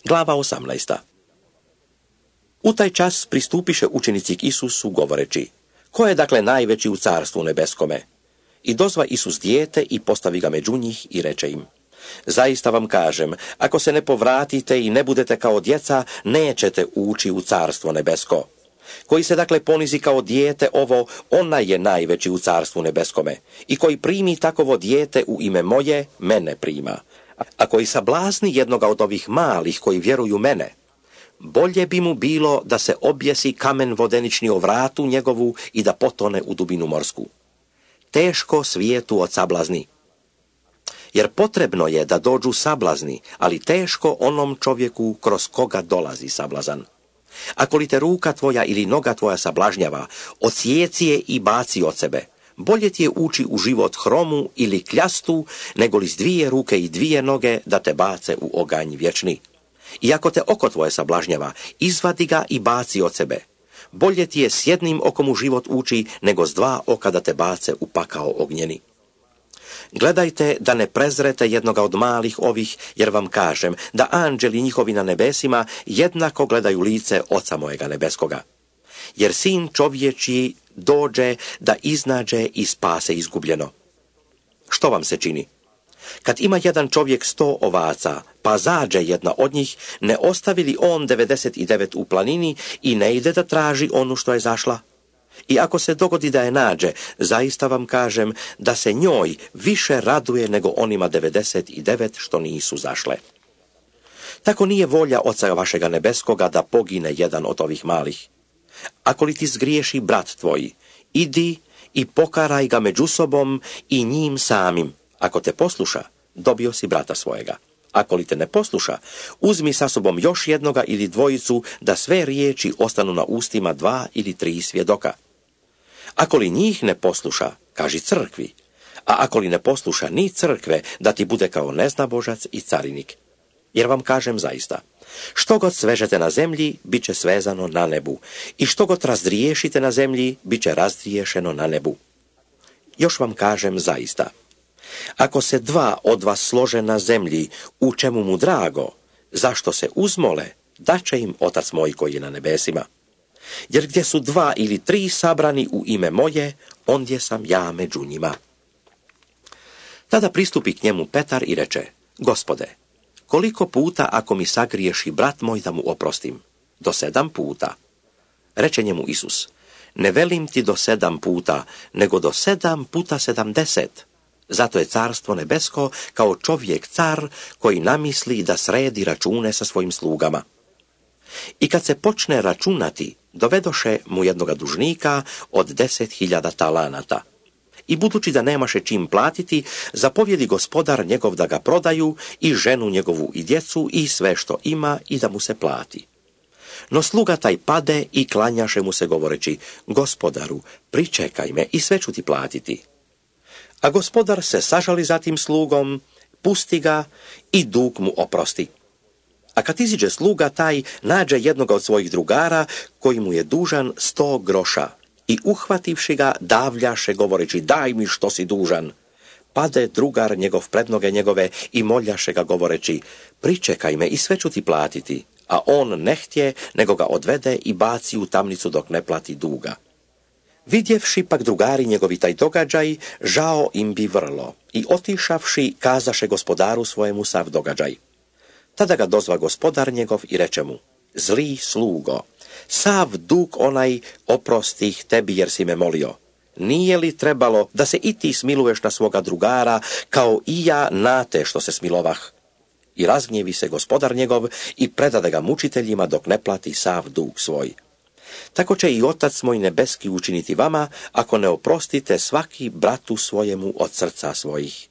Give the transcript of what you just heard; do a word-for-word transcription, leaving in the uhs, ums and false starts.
Glava osamnaesta. U taj čas pristupiše učenici k Isusu govoreći: ko je dakle najveći u carstvu nebeskome? I dozva Isus dijete i postavi ga među njih i reče im: zaista vam kažem, ako se ne povratite i ne budete kao djeca, nećete ući u carstvo nebesko. Koji se dakle ponizi kao dijete ovo, onaj je najveći u carstvu nebeskome. I koji primi takovo dijete u ime moje, mene prima. A koji sablazni jednoga od ovih malih koji vjeruju mene, bolje bi mu bilo da se objesi kamen vodenični o vratu njegovu i da potone u dubinu morsku. Teško svijetu od sablazni. Jer potrebno je da dođu sablazni, ali teško onom čovjeku kroz koga dolazi sablazan. Ako li te ruka tvoja ili noga tvoja sablažnjava, odsjeci je i baci od sebe. Bolje ti je ući u život hromu ili kljastu, nego li s dvije ruke i dvije noge da te bace u oganj vječni. I ako te oko tvoje sablažnjava, izvadi ga i baci od sebe. Bolje ti je s jednim okom u život ući, nego s dva oka da te bace u pakao ognjeni. Gledajte da ne prezrete jednoga od malih ovih, jer vam kažem da anđeli njihovi na nebesima jednako gledaju lice Oca mojega nebeskoga. Jer sin čovječji dođe da iznađe i spase izgubljeno. Što vam se čini? Kad ima jedan čovjek sto ovaca, pa zađe jedna od njih, ne ostavi li on devedeset i devet u planini i ne ide da traži onu što je zašla? I ako se dogodi da je nađe, zaista vam kažem da se njoj više raduje nego onima devedeset i devet što nisu zašle. Tako nije volja Oca vašega nebeskoga da pogine jedan od ovih malih. Ako li ti zgriješi brat tvoj, idi i pokaraj ga među sobom i njim samim. Ako te posluša, dobio si brata svojega. Ako li te ne posluša, uzmi sa sobom još jednoga ili dvojicu, da sve riječi ostanu na ustima dva ili tri svjedoka. Ako li njih ne posluša, kaži crkvi, a ako li ne posluša ni crkve, da ti bude kao neznabožac i carinik. Jer vam kažem zaista, što god svežete na zemlji, bit će svezano na nebu, i što god razdriješite na zemlji, bit će razdriješeno na nebu. Još vam kažem zaista, ako se dva od vas slože na zemlji, u čemu mu drago, zašto se uzmole, daće im Otac moj koji je na nebesima. Jer gdje su dva ili tri sabrani u ime moje, ondje sam ja među njima. Tada pristupi k njemu Petar i reče: Gospode, koliko puta ako mi sagriješi brat moj da mu oprostim? Do sedam puta. Reče njemu Isus: ne velim ti do sedam puta, nego do sedam puta sedamdeset. Zato je carstvo nebesko kao čovjek car koji namisli da sredi račune sa svojim slugama. I kad se počne računati, dovedoše mu jednoga dužnika od deset hiljada talanata. I budući da nemaše čim platiti, zapovjedi gospodar njegov da ga prodaju i ženu njegovu i djecu i sve što ima i da mu se plati. No sluga taj pade i klanjaše mu se govoreći: Gospodaru, pričekaj me i sve ću ti platiti. A gospodar se sažali za tim slugom, pusti ga i dug mu oprosti. A kad iziđe sluga taj, nađe jednoga od svojih drugara koji mu je dužan sto groša i uhvativši ga davljaše govoreći: daj mi što si dužan. Pade drugar njegov pred noge njegove i moljaše ga govoreći: pričekaj me i sve ću ti platiti. A on ne htje, nego ga odvede i baci u tamnicu dok ne plati duga. Vidjevši pak drugari njegovi taj događaj, žao im bi vrlo i otišavši kazaše gospodaru svojemu sav događaj. Tada ga dozva gospodar njegov i reče mu: zli slugo, sav dug onaj oprostih tebi jer si me molio. Nije li trebalo da se i ti smiluješ na svoga drugara, kao i ja na te što se smilovah? I razgnjevi se gospodar njegov i predade ga mučiteljima dok ne plati sav dug svoj. Tako će i Otac moj nebeski učiniti vama, ako ne oprostite svaki bratu svojemu od srca svojih.